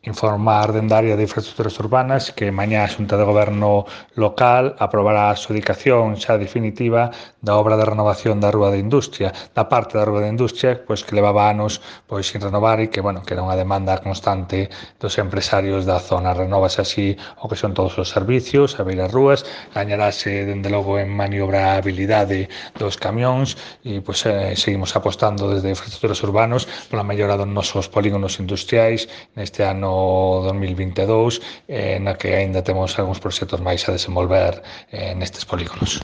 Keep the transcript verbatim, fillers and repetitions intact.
informar dende a área de infraestructuras urbanas que mañá a Xunta de Goberno local aprobará a adxudicación xa definitiva da obra de renovación da Rúa da Industria, da parte da Rúa da Industria, pois que levaba anos pois sin renovar e que, bueno, que era unha demanda constante dos empresarios da zona. Renovase así o que son todos os servicios, a beiras rúas, gañarase dende logo en maniobrabilidade dos camións e pois eh, seguimos apostando desde infraestructuras urbanos pola mellora dos nosos polígonos industriais neste ano dos mil vinte e dous, eh, na que aínda temos algúns proxectos máis a desenvolver eh, nestes polígonos.